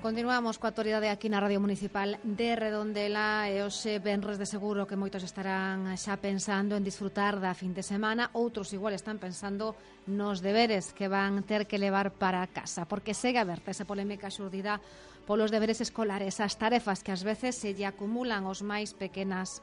Continuamos coa actualidade aquí na Radio Municipal de Redondela e hoxe venres de seguro que moitos estarán xa pensando en disfrutar da fin de semana, outros igual están pensando nos deberes que van ter que levar para casa, porque segue aberta esa polémica xurdida polos deberes escolares, as tarefas que ás veces se lle acumulan aos máis pequenos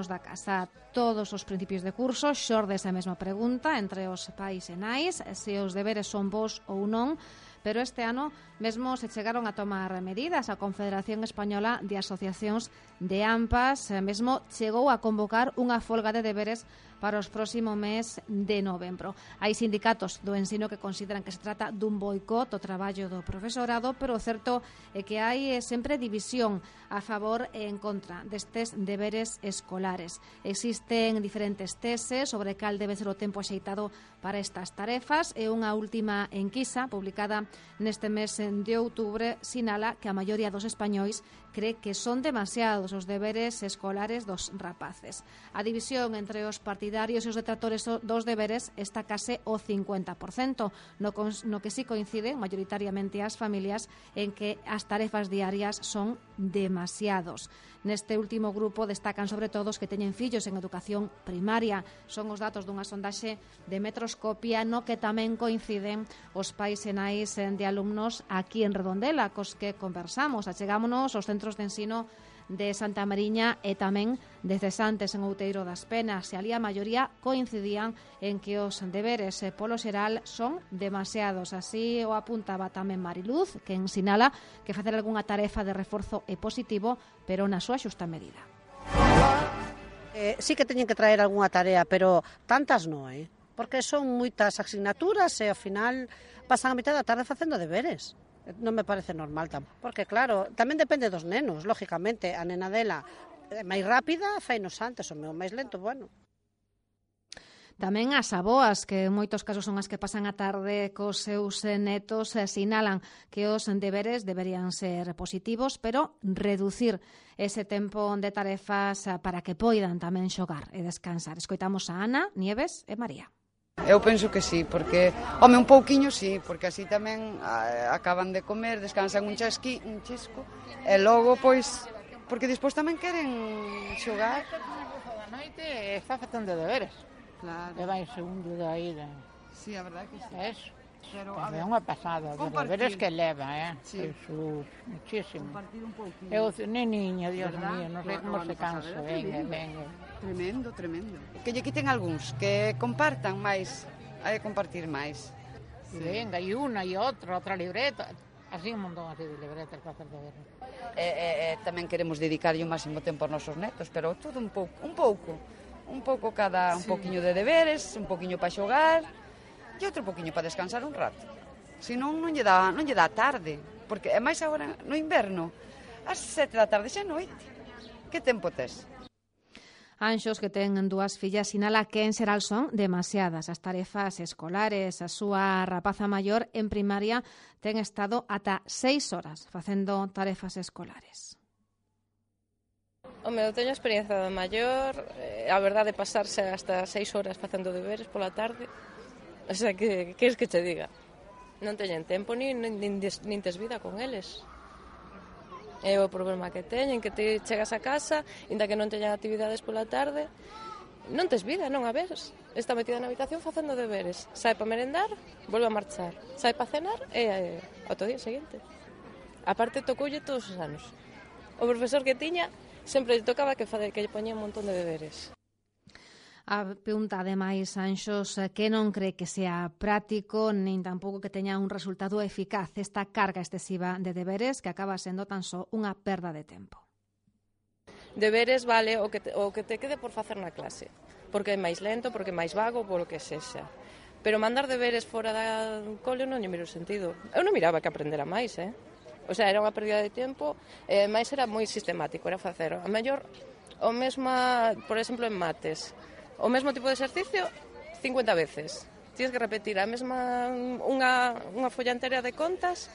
da casa. Todos os principios de curso xorde esa mesma pregunta entre os pais e nais, se os deberes son bons ou non. Pero este ano mesmo se chegaron a tomar medidas. A Confederación Española de Asociacións de AMPAs mesmo chegou a convocar unha folga de deberes para os próximo mes de novembro. Hai sindicatos do ensino que consideran que se trata dun boicot ao traballo do profesorado, pero o certo é que hai sempre división a favor e en contra destes deberes escolares. Existen diferentes teses sobre cal debe ser o tempo axeitado para estas tarefas e unha última enquisa publicada neste mes de outubro sinala que a maioría dos españois cree que son demasiados os deberes escolares dos rapaces. A división entre os partidarios e os detractores dos deberes está case o 50%, no que sí coinciden maioritariamente as familias en que as tarefas diarias son demasiados. Neste último grupo destacan sobre todo os que teñen fillos en educación primaria. Son os datos dunha sondaxe de Metroscopia no que tamén coinciden os pais e nais de alumnos aquí en Redondela, cos que conversamos. Achegámonos aos centros de ensino de Santa Mariña e tamén de Cesantes en Outeiro das Penas, e ali a maioría coincidían en que os deberes polo xeral son demasiados. Así o apuntaba tamén Mariluz, que sinala que facer algunha tarefa de reforzo é positivo, pero na súa xusta medida. Sí que teñen que traer algunha tarea, pero tantas non, porque son moitas asignaturas e ao final pasan a mitad da tarde facendo deberes. Non me parece normal tampouco, porque claro, tamén depende dos nenos, lógicamente, a nena dela é máis rápida, fainos antes, o meu máis lento, bueno. Tamén as aboas, que en moitos casos son as que pasan a tarde cos seus netos, sinalan que os deberes deberían ser positivos, pero reducir ese tempo de tarefas para que poidan tamén xogar e descansar. Escoitamos a Ana, Nieves e María. Eu penso que sí, porque, un pouquiño sí, porque así tamén acaban de comer, descansan un chisco, e logo, pois, porque despois tamén queren xogar. Da noite está facendo deberes. Claro. E vai segundo da ida. Sí, a verdade que sí. Eso. Pero, é unha pasada de deberes que leva, Sí. Jesús, muchísimo. Compartir un pouquinho. Eu, neniña, Dios ¿verdad? mío, non sei como se cansa. Venga. Tremendo. Que lle quiten algúns, que compartan máis, hai que compartir máis. Sí. Venga, e unha e outra libreta. Así un montón así de libretas para hacer deberes. Tamén queremos dedicarlle o máximo tempo aos nosos netos, pero todo un pouco cada, un pouquiño de deberes, un pouquiño para xogar e outro pouquiño para descansar un rato. Senón non lle dá tarde, porque é máis agora no inverno, ás 7 da tarde xa noite. Que tempo tes? Anxos, que ten dúas fillas, sinala que en xeral son demasiadas as tarefas escolares. A súa rapaza maior en primaria ten estado ata 6 horas facendo tarefas escolares. Eu teño experiencia de maior, a verdade de pasarse hasta 6 horas facendo deberes pola tarde, o sea, que queres que te diga? Non teñen tempo nin tes vida con eles. É o problema que teñen, que te chegas a casa, inda que non teñan actividades pola tarde, non tes vida, non a ves. Está metida na habitación facendo deberes. Sai para merendar, volve a marchar. Sai para cenar e outro día seguinte. A parte tocoulle todos os anos. O profesor que tiña sempre lle tocaba que lle poñía un montón de deberes. Apunta ademais Anxos que non cree que sea práctico nin tampouco que teña un resultado eficaz esta carga excesiva de deberes que acaba sendo tan só unha perda de tempo. Deberes vale o que te quede por facer na clase, porque é máis lento, porque é máis vago, polo que sexa. Pero mandar deberes fora do cole non lle miro sentido. Eu non miraba que aprendera máis, O sea, era unha pérdida de tempo, máis era moi sistemático, era facer a mellor o mesmo, por exemplo, en mates. O mesmo tipo de exercicio 50 veces. Tienes que repetir a mesma unha folla entera de contas.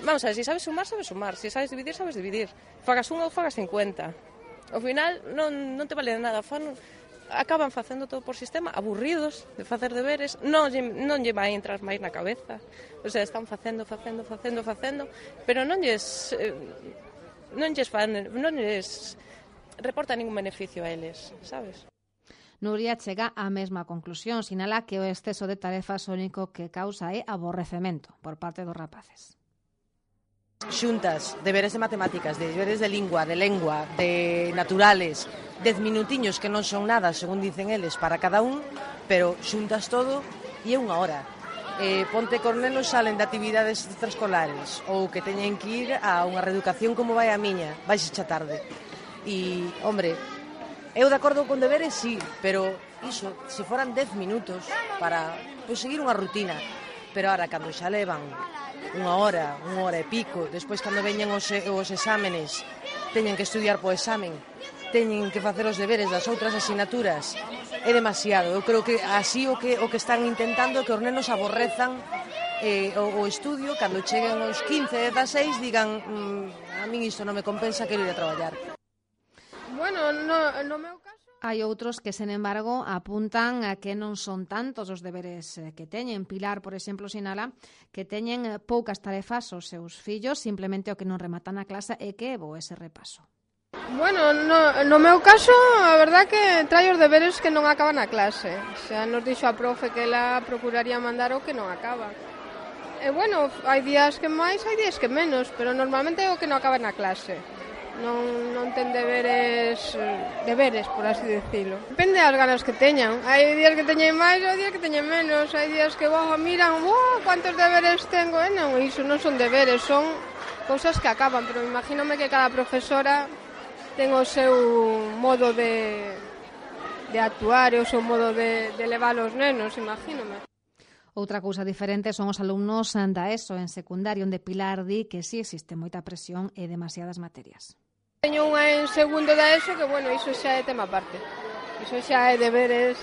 Vamos a ver, se sabes sumar, se sabes dividir. Fagas unha ou fagas 50. Ao final non te vale de nada. acaban facendo todo por sistema, aburridos de facer deberes, non lle vai entrar máis na cabeza. O sea, están facendo, pero non lles reporta ningún beneficio a eles, sabes? Nuria chega á mesma conclusión, sinala que o exceso de tarefas o único que causa é aborrecemento por parte dos rapaces. Xuntas, deberes de matemáticas, deberes de lingua, de naturales, 10 minutiños que non son nada, según dicen eles, para cada un, pero xuntas todo e é unha hora. Ponte que os nenos salen de actividades extraescolares ou que teñen que ir a unha reeducación como vai a miña, vais xa tarde. E, hombre, eu de acordo con deberes, sí, pero iso, se foran 10 minutos para seguir unha rutina, pero ahora cando xa levan unha hora e pico, despois cando veñen os exámenes, teñen que estudiar po examen, teñen que facer os deberes das outras asignaturas, é demasiado. Eu creo que así o que están intentando é que os nenos aborrezan o estudio, cando cheguen os 15, 16, digan a min isto non me compensa, quero ir a traballar. Bueno, no meu caso... Hai outros que, sen embargo, apuntan a que non son tantos os deberes que teñen. Pilar, por exemplo, sinala que teñen poucas tarefas os seus fillos, simplemente o que non rematan a clase é que é bo ese repaso. Bueno, no meu caso, a verdad que trae os deberes que non acaban a clase. Xa nos dixo a profe que ela procuraría mandar o que non acaba. E bueno, hai días que máis, hai días que menos, pero normalmente é o que non acaba na clase. Non ten deberes, por así decirlo. Depende das ganas que teñan. Hai días que teñen máis, hai días que teñen menos. Hai días que miran, cuántos deberes tengo. Non, iso non son deberes, son cousas que acaban. Pero imagínome que cada profesora ten o seu modo de actuar e o seu modo de levar os nenos, imagínome. Outra cousa diferente son os alumnos da ESO en secundario, onde Pilar di que sí existe moita presión e demasiadas materias. Teño unha en segundo da ESO que, bueno, iso xa é tema aparte. Iso xa é deberes,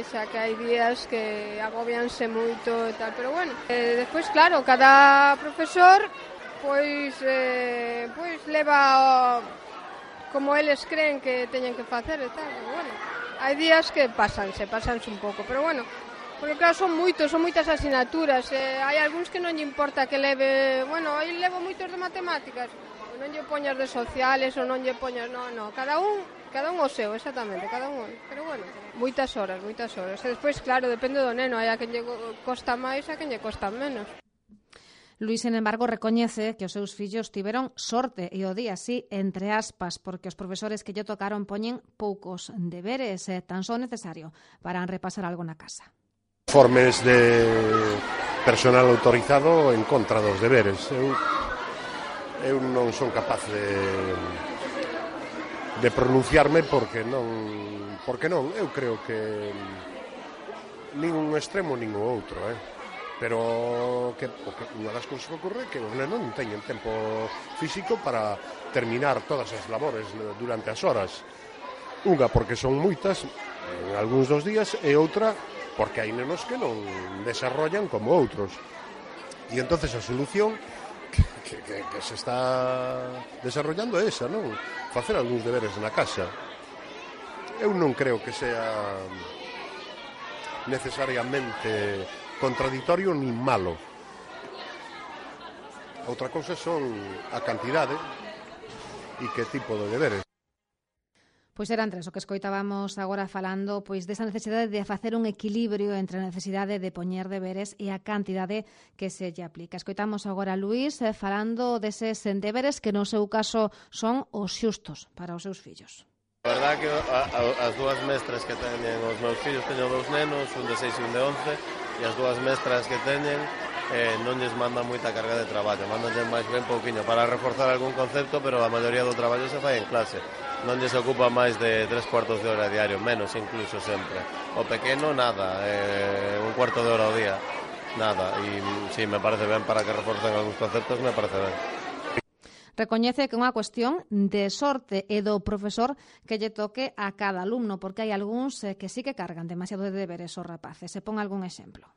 xa que hai días que agobianse moito e tal, pero bueno. Despois, claro, cada profesor pois leva como eles creen que teñen que facer e tal, pero bueno. Hai días que pásanse un pouco, pero bueno, porque claro, son moitas asignaturas, hai algúns que non lle importa que leve, bueno, aí levo moitos de matemáticas, non lle poñas de sociales ou non lle poñas, no, cada un o seu, exactamente, cada un, pero bueno, moitas horas, e despois, claro, depende do neno, hai a quen lle costa máis, a quen lle costa menos. Luís, sen embargo, recoñece que os seus fillos tiveron sorte, e o di así, entre aspas, porque os profesores que lle tocaron poñen poucos deberes, tan só necesario para repasar algo na casa. Informes de personal autorizado en contra dos deberes. Eu non son capaz de pronunciarme porque non. Eu creo que nin un extremo nin o outro, pero que unha das cousas que ocorre é que os nenos non teñen tempo físico para terminar todas as labores durante as horas. Unha porque son moitas en algúns dos días e outra porque hai nenos que non desarrollan como outros. E entonces a solución que se está desarrollando é esa, non? Facer algúns deberes na casa. Eu non creo que sea necesariamente contradictorio nin malo. Outra cousa son a cantidade e que tipo de deberes. Pois eran tres o que escoitábamos agora falando pois desa necesidade de facer un equilibrio entre a necesidade de poñer deberes e a cantidade que se lle aplica. Escoitamos agora a Luís falando deses deberes que no seu caso son os xustos para os seus fillos. A verdade que as dúas mestras que teñen os meus fillos, teño dous nenos, un de 6 e un de 11, e as dúas mestras que teñen non lles mandan moita carga de traballo, mandanlle máis ben pouquiño para reforzar algún concepto, pero a maioría do traballo se fai en clase. Non lles ocupa máis de 3/4 de hora diario, menos incluso sempre. O pequeno, nada, un cuarto de hora ao día, nada. E sí, me parece ben para que reforcen algúns conceptos, me parece ben. Recoñece que é unha cuestión de sorte e do profesor que lle toque a cada alumno, porque hai algúns que sí que cargan demasiado de deberes os rapaces. Se pon algún exemplo.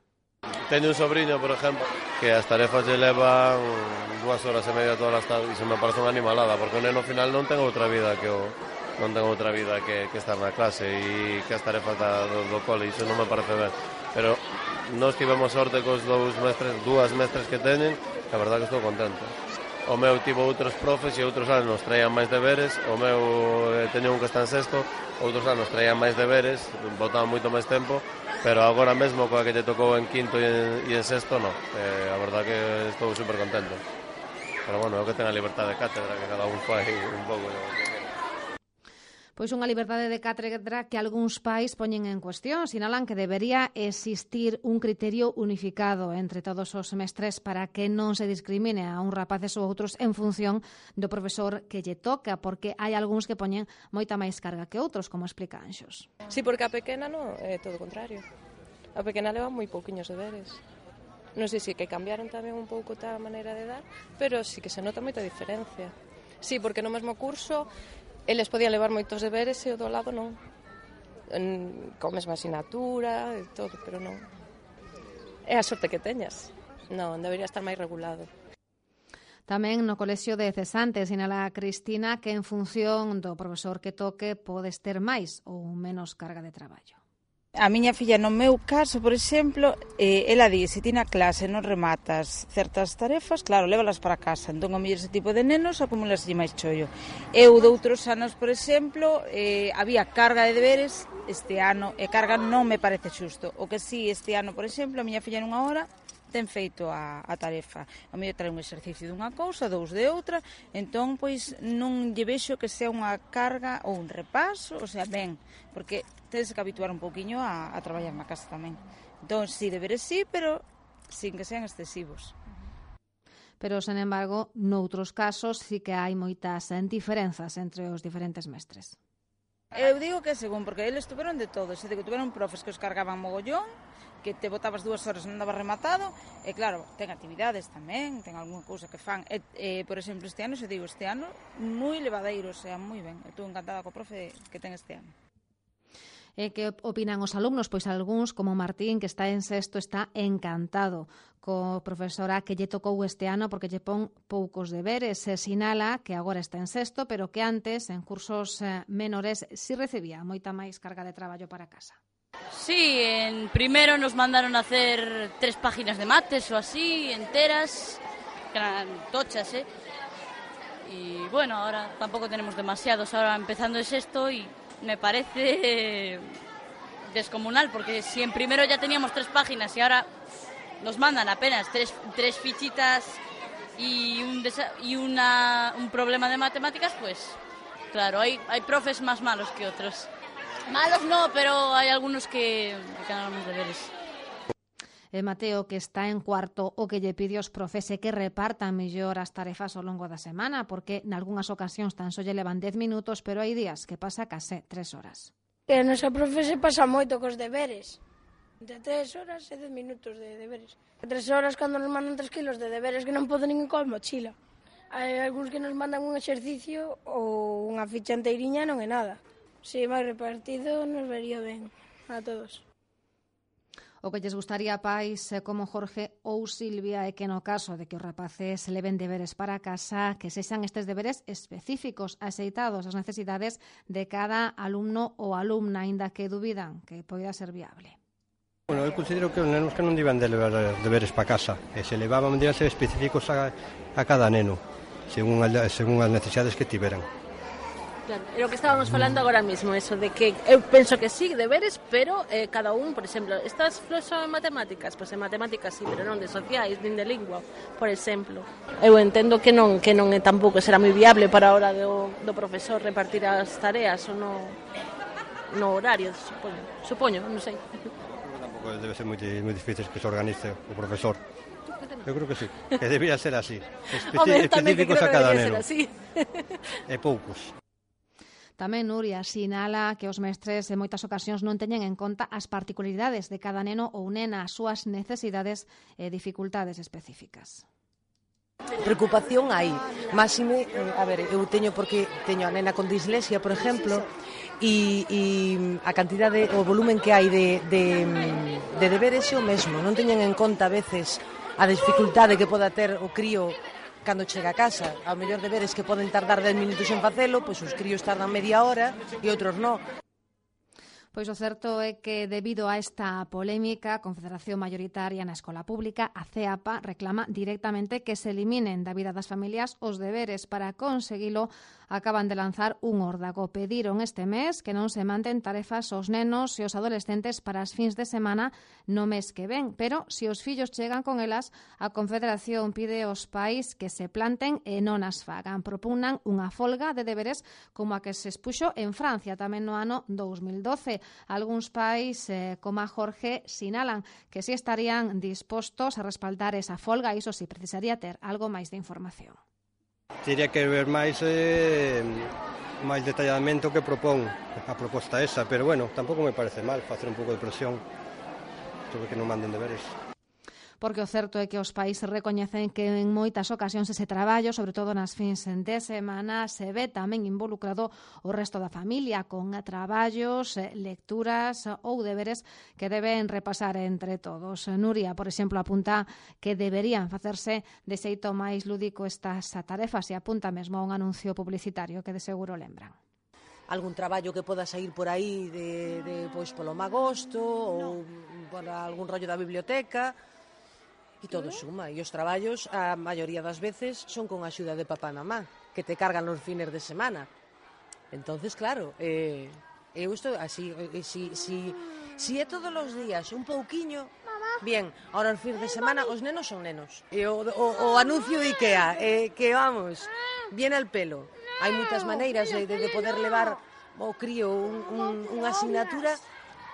Teño un sobriño, por exemplo, que as tarefas lle levan 2 horas e media todas as tardes e se me parece unha animalada, porque o neno final non ten outra vida que non ten outra vida que estar na clase e que as tarefas do cole, iso non me parece ben. Pero nós tivemos sorte cos dúas mestres que teñen, que a verdade que estou contento. O meu tivo outros profes e outros anos traían máis deberes, o meu teño un que está en sexto, outros anos traían máis deberes, botaban moito máis tempo, pero agora mesmo coa que lle tocou en quinto e en sexto, non. A verdade que estou super contento. Pero bueno, é o que ten a liberdade de cátedra, que cada un fai un pouco. Pois unha liberdade de cátedra que algúns pais poñen en cuestión. Sinalan que debería existir un criterio unificado entre todos os mestres para que non se discrimine a uns rapaces ou outros en función do profesor que lle toca, porque hai algúns que poñen moita máis carga que outros, como explica Anxos. Sí, porque a pequena non, é todo o contrario. A pequena leva moi pouquiños deberes. Non sei se que cambiaron tamén un pouco a maneira de dar, pero sí que se nota moita diferencia. Sí, porque no mesmo curso eles podían levar moitos deberes e o do lado non. Con mesma asignatura e todo, pero non. É a sorte que teñas. Non, debería estar máis regulado. Tamén no colexio de cesantes sinala Cristina que en función do profesor que toque podes ter máis ou menos carga de traballo. A miña filla, no meu caso, por exemplo, ela di, se ti na clase non rematas certas tarefas, claro, lévalas para casa. Entón, a mellor ese tipo de nenos acumulaslle máis chollo. Eu, de outros anos, por exemplo, había carga de deberes este ano, e carga non me parece xusto. O que sí, este ano, por exemplo, a miña filla nunha hora ten feito a tarefa. A mellor trae un exercicio dunha cousa, dous de outra, entón, pois, non lle vexo que sea unha carga ou un repaso, o sea, ben, porque tedes que habituar un pouquiño a traballar na casa tamén. Entón, sí, deberes sí, pero sin que sean excesivos. Pero, sen embargo, noutros casos sí que hai moitas diferenzas entre os diferentes mestres. Eu digo que según, porque eles tuveron de todo, se digo, tuveron profes que os cargaban mogollón, que te botabas 2 horas e non daba rematado, e claro, ten actividades tamén, ten algunha cousa que fan, por exemplo, este ano, se digo, este ano, moi levadeiro, o sea, moi ben, estou encantada co profe que ten este ano. E que opinan os alumnos? Pois algúns, como Martín, que está en sexto, está encantado co profesora que lle tocou este ano porque lle pon poucos deberes. Se sinala que agora está en sexto, pero que antes, en cursos menores, si recibía moita máis carga de traballo para casa. Sí, en primero nos mandaron a hacer 3 páginas de mates o así, enteras, que eran tochas, Y bueno, ahora tampoco tenemos demasiados, ahora empezando el sexto y me parece descomunal, porque si en primero ya teníamos 3 páginas y ahora nos mandan apenas 3 fichitas y un problema de matemáticas, pues claro, hay profes más malos que otros. Malos no, pero hay algunos que ganan los deberes. Mateo, que está en cuarto, o que lle pide aos profes que repartan mellor as tarefas ao longo da semana, porque nalgúnas ocasións tan só lle levan 10 minutos, pero hai días que pasa case 3 horas. Que a nosa profe se pasa moito cos deberes. Entre 3 horas e 10 minutos de deberes. 3 horas cando nos mandan 3 kilos de deberes que non poden nin coa mochila. Hai algúns que nos mandan un exercicio ou unha ficha enteiriña non é nada. Si máis repartido nos vería ben a todos. O que lles gustaría a pais como Jorge ou Silvia é que no caso de que os rapaces leven deberes para casa, que sexan estes deberes específicos, axeitados ás necesidades de cada alumno ou alumna, aínda que dubidan que poida ser viable. Bueno, eu considero que os nenos que non deben de levar deberes para casa, e se levaban deben ser específicos a cada neno, según as necesidades que tiveran. Claro, é o que estábamos falando agora mesmo, eso de que eu penso que sí, deberes, pero cada un, por exemplo, estas son en matemáticas, pois en matemáticas sí, pero non de sociais, nin de lingua, por exemplo. Eu entendo que non é tampouco será moi viable para a hora do profesor repartir as tareas ou no horario, supoño, non sei. Tampouco debe ser moi difícil que se organice o profesor. Eu creo que sí, que debía ser así, específicos a cada neno. E poucos. Tamén Nuria sinala que os mestres en moitas ocasións non teñen en conta as particularidades de cada neno ou nena, as súas necesidades e dificultades específicas. Preocupación hai. Máxime, a ver, eu teño porque teño a nena con dislexia, por exemplo, e a cantidade, o volumen que hai de deberes é o mesmo. Non teñen en conta a veces a dificultade que poda ter o crío cando chega a casa. Ao mellor deberes que poden tardar 10 minutos en facelo, pois os críos tardan media hora e outros non. Pois o certo é que, debido a esta polémica, a Confederación Maioritaria na Escola Pública, a CEAPA, reclama directamente que se eliminen da vida das familias os deberes. Para conseguilo, acaban de lanzar un órdago. Pediron este mes que non se manden tarefas aos nenos e os adolescentes para as fins de semana no mes que ven, pero se os fillos chegan con elas, a Confederación pide aos pais que se planten e non as fagan. Propugnan unha folga de deberes como a que se expuxo en Francia tamén no ano 2012. Algúns pais, como a Jorge, sinalan que si estarían dispostos a respaldar esa folga, iso si precisaría ter algo máis de información. Teria que ver máis detalladamente o que propón a proposta esa, pero bueno, tampouco me parece mal facer un pouco de presión sobre que non manden deberes. Porque o certo é que os pais recoñecen que en moitas ocasións ese traballo, sobre todo nas fins de semana, se ve tamén involucrado o resto da familia con traballos, lecturas ou deberes que deben repasar entre todos. Nuria, por exemplo, apunta que deberían facerse de xeito máis lúdico estas tarefas e apunta mesmo a un anuncio publicitario que de seguro lembran. Algún traballo que poda sair por aí pois polo magosto ou por algún rollo da biblioteca. E todo suma, e os traballos, a maioría das veces, son con axuda de papá e mamá, que te cargan os fines de semana. Entonces, claro, eu estou así, si é todos os días un pouquiño, bien, ahora os fines de semana os nenos son nenos. E o anuncio de Ikea, que vamos, viene al pelo. Hai moitas maneiras de poder levar o crío unha asignatura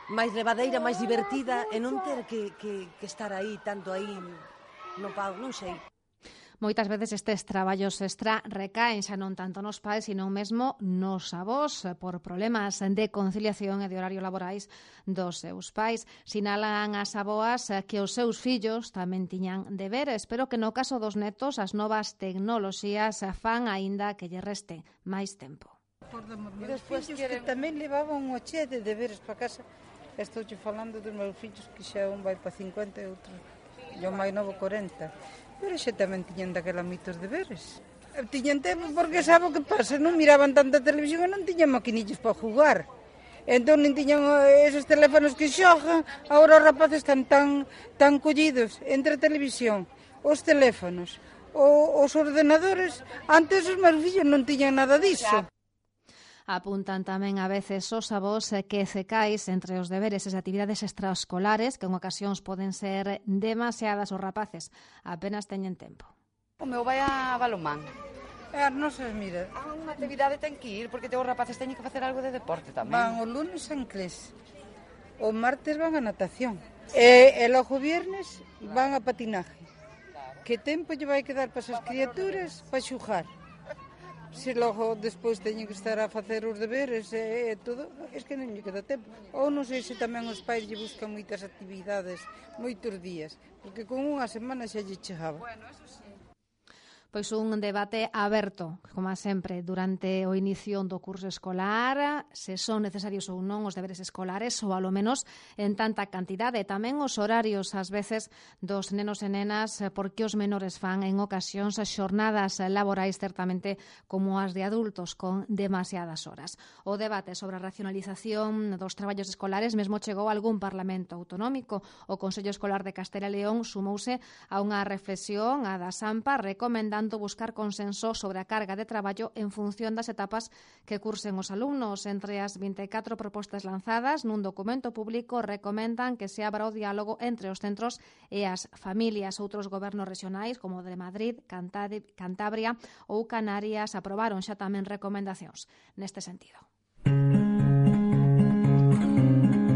máis levadeira, máis divertida e non ter que estar aí, tanto aí no pago, non sei. Moitas veces estes traballos extra recaen xa non tanto nos pais, sino mesmo nos avós por problemas de conciliación e de horario laborais dos seus pais. Sinalan as avoas que os seus fillos tamén tiñan deberes, pero que no caso dos netos as novas tecnoloxías fan aínda que lle reste máis tempo. E despois que tamén levaban un che de deberes para casa. Estou falando dos meus fillos que xa un vai para 50 e outro e o máis novo 40. Pero xa tamén tiñan daquela mitos deberes. Tiñan tempo porque sabe o que pasa, non miraban tanta televisión e non tiñan maquinillos para jugar. Entón non tiñan esos teléfonos que xogan. Agora os rapaces están tan collidos entre a televisión, os teléfonos, os ordenadores. Antes os meus fillos non tiñan nada disso. Apuntan tamén a veces os avós que cecais entre os deberes e as actividades extraescolares que en ocasións poden ser demasiadas os rapaces. Apenas teñen tempo. O meu vai a balonmán. Non se mira. A unha actividade ten que ir, porque os rapaces teñen que facer algo de deporte tamén. Van o lunes a inglés, o martes van a natación, e logo viernes van a patinaje. Que tempo lle vai quedar para esas criaturas para xugar? Se logo despois teñen que estar a facer os deberes e todo, é que non lle queda tempo. Ou non sei se tamén os pais lle buscan moitas actividades, moitos días, porque con unha semana xa lle chegaba. Bueno, eso sí. Pois un debate aberto, como sempre, durante o inicio do curso escolar, se son necesarios ou non os deberes escolares, ou alo menos en tanta cantidade. Tamén os horarios, ás veces, dos nenos e nenas, porque os menores fan en ocasións xornadas laborais certamente como as de adultos, con demasiadas horas. O debate sobre a racionalización dos traballos escolares mesmo chegou a algún parlamento autonómico. O Consello Escolar de Castela e León sumouse a unha reflexión, a da SAMPA, recomendando buscar consenso sobre a carga de traballo en función das etapas que cursen os alumnos. Entre as 24 propostas lanzadas nun documento público recomendan que se abra o diálogo entre os centros e as familias. Outros gobernos regionais, como o de Madrid, Cantabria ou Canarias, aprobaron xa tamén recomendacións neste sentido.